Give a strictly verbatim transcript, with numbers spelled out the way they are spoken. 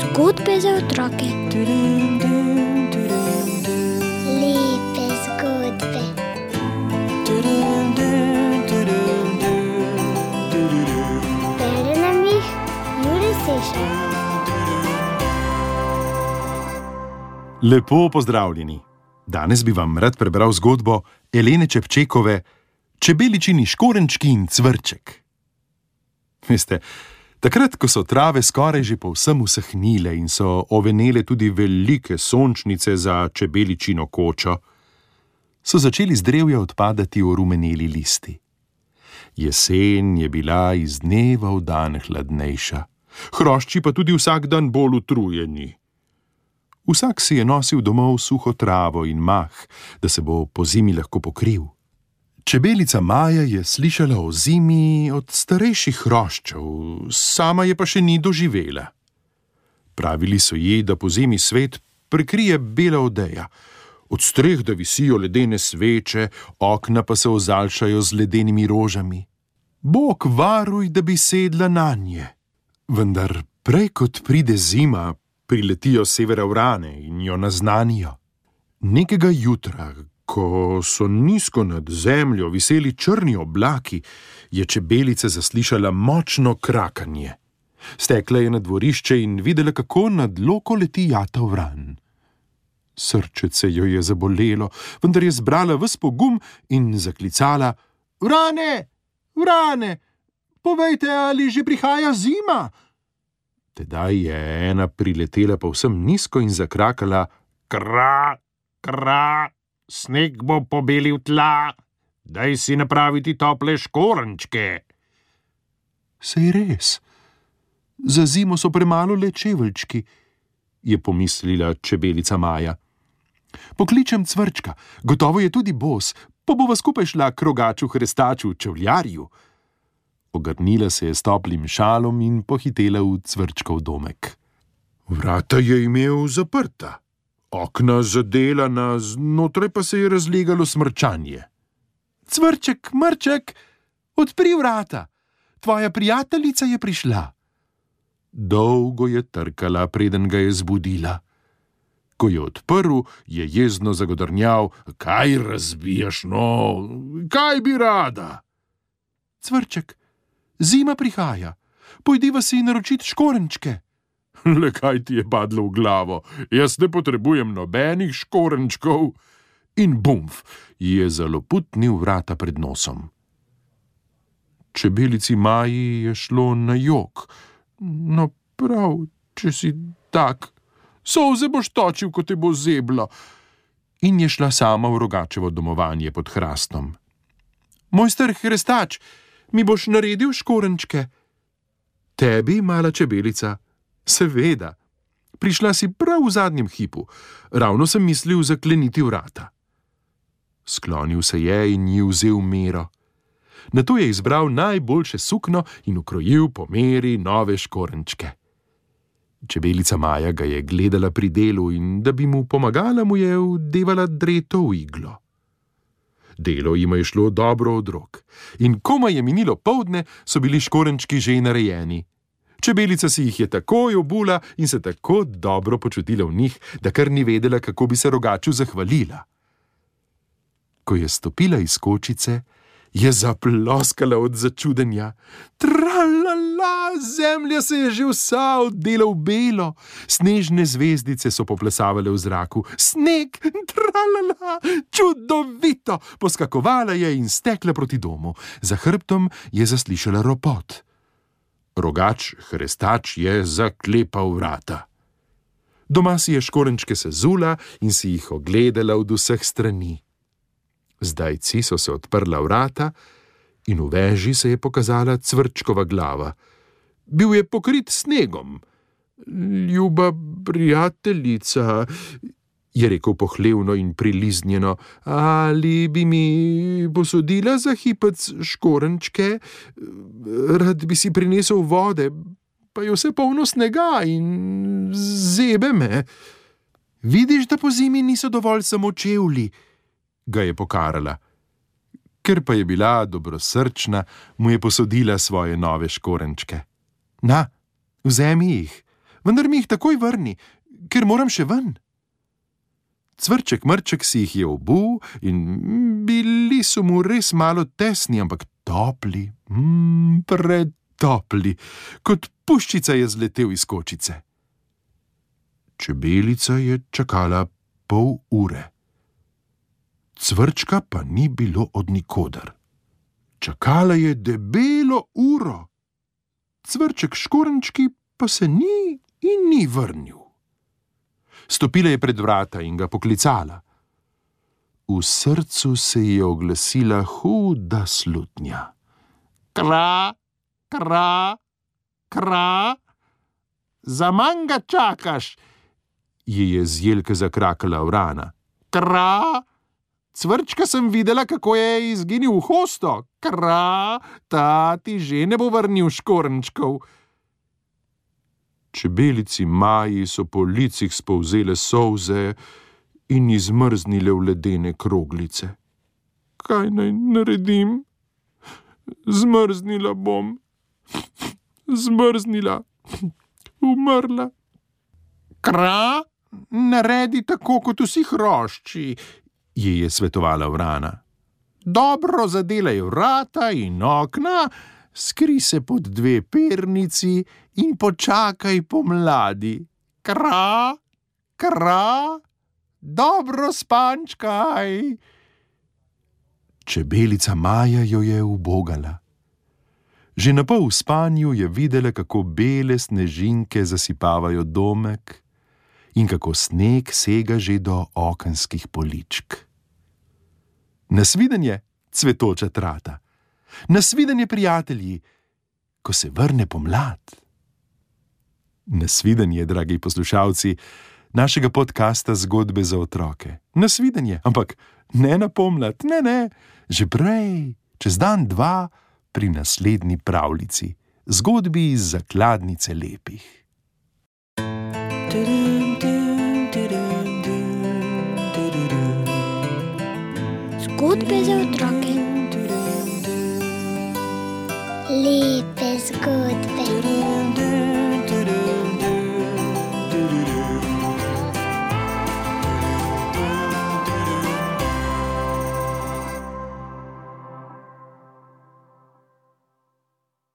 Zgodbe za otroke. Lepe zgodbe. Bere nam jih Jure Sešar. Lepo pozdravljeni. Danes bi vam rad prebral zgodbo Elene Čepčekove Čebeličini škorenčki in cvrček. Veste, takrat, ko so trave skoraj že povsem usahnile in so ovenele tudi velike sončnice za čebeličino kočo, so začeli z drevja odpadati orumeneli listi. Jesen je bila iz dneva v dan hladnejša, hrošči pa tudi vsak dan bolj utrujeni. Vsak si je nosil domov suho travo in mah, da se bo po zimi lahko pokril. Čebelica Maja je slišala o zimi od starejših hroščev, sama je pa še ni doživela. Pravili so ji, da po zimi svet prekrije bela odeja, od streh da visijo ledene sveče, okna pa se ozaljšajo z ledenimi rožami. Bog varuj, da bi sedla nanje. Vendar prej kot pride zima, priletijo s severa vrane in jo naznanijo. Nekega jutra, ko so nizko nad zemljo viseli črni oblaki, je čebelica zaslišala močno krakanje. Stekla je na dvorišče in videla, kako nad loko leti jata vran. Srčece jo je zabolelo, vendar je zbrala ves pogum in zaklicala: "Vrane, vrane, povejte, ali že prihaja zima?" Tedaj je ena priletela povsem nizko in zakrakala: "Kra, kra, sneg bo pobelil tla, daj si napraviti tople škorenčke." Sej res, za zimo so premalo le čeveljčki, je pomislila čebelica Maja. Pokličem cvrčka, gotovo je tudi bos, pa bova skupaj šla k rogaču hrestaču čevljarju. Ogrnila se je s toplim šalom in pohitela v cvrčkov domek. Vrata je imel zaprta, okna zadelana, znotraj pa se je razlegalo smrčanje. "Cvrček, mrček, odpri vrata, tvoja prijateljica je prišla." Dolgo je trkala, preden ga je zbudila. Ko je odprl, je jezno zagodrnjal: "Kaj razbijaš, no, kaj bi rada?" "Cvrček, zima prihaja, pojdiva si naročit škorenčke." "Le kaj ti je padlo v glavo, jaz ne potrebujem nobenih škorenčkov." In bumf, je zaloputnil vrata pred nosom. Čebelici Maji je šlo na jok. "No prav, če si tak, solze boš točil, ko te bo zeblo." In je šla sama v rogačevo domovanje pod hrastom. "Mojster hrestač, mi boš naredil škorenčke?" "Tebi, mala čebelica?" "Seveda. Prišla si prav v zadnjem hipu. Ravno sem mislil zakleniti vrata." Sklonil se je in ji vzel mero. Nato je izbral najboljše sukno in ukrojil po meri nove škorenčke. Čebelica Maja ga je gledala pri delu in da bi mu pomagala, mu je vdevala dreto v iglo. Delo jima je šlo dobro od rok in komaj je minilo poldne, so bili škorenčki že narejeni. Čebelica si jih je takoj obula in se tako dobro počutila v njih, da kar ni vedela, kako bi se rogaču zahvalila. Ko je stopila iz kočice, je zaploskala od začudenja. Tralala, zemlja se je že vsa odela v belo, snežne zvezdice so poplesavale v zraku. Sneg, tralala, čudovito, poskakovala je in stekla proti domu. Za hrbtom je zaslišala ropot. Rogač hrestač je zaklepal vrata. Doma si je škorenčke sezula in si jih ogledala od vseh strani. Zdajci so se odprla vrata in v veži se je pokazala cvrčkova glava. Bil je pokrit snegom. "Ljuba prijateljica," je rekel pohlevno in priliznjeno, "ali bi mi posodila za hipec škorenčke? Rad bi si prinesel vode, pa je vse polno snega in zebe me." "Vidiš, da po zimi niso dovolj samo čevlji," ga je pokarala. Ker pa je bila dobrosrčna, mu je posodila svoje nove škorenčke. Na, vzemi jih, vendar mi jih takoj vrni, ker moram še ven. Cvrček Mrček si jih je obul in bili so mu res malo tesni, ampak topli, mm, pretopli, kot puščica je zletel iz kočice. Čebelica je čakala pol ure. Cvrčka pa ni bilo od nikoder. Čakala je debelo uro. Cvrček škorenčki pa se ni in ni vrnil. Stopila je pred vrata in ga poklicala. V srcu se ji je oglasila huda slutnja. Kra, kra, kra, zaman ga čakaš, ji je z jelke zakrakala vrana. Kra, Cvrčka sem videla, kako je izginil v hosto. Kra, ta ti že ne bo vrnil škorenčkov. Čebelici Maji so po licih spolzele solze in izmrznile v ledene kroglice. Kaj naj naredim? Zmrznila bom. Zmrznila. Umrla. Kra, naredi tako, kot vsi hrošči, ji je svetovala vrana. Dobro zadelaj vrata in okna, skri se pod dve pernici in počakaj pomladi. Kra, kra, dobro spančkaj. Čebelica Maja jo je ubogala. Že na pol v spanju je videla, kako bele snežinke zasipavajo domek in kako sneg sega že do okenskih poličk. Nasvidenje, cvetoča trata. Nasvidenje, prijatelji, ko se vrne pomlad. Nasvidenje, dragi poslušalci našega podcasta Zgodbe za otroke. Nasvidenje, ampak ne na pomlad, ne, ne, že prej, čez dan, dva, pri naslednji pravljici, zgodbi iz zakladnice lepih. Zgodbe za otroke.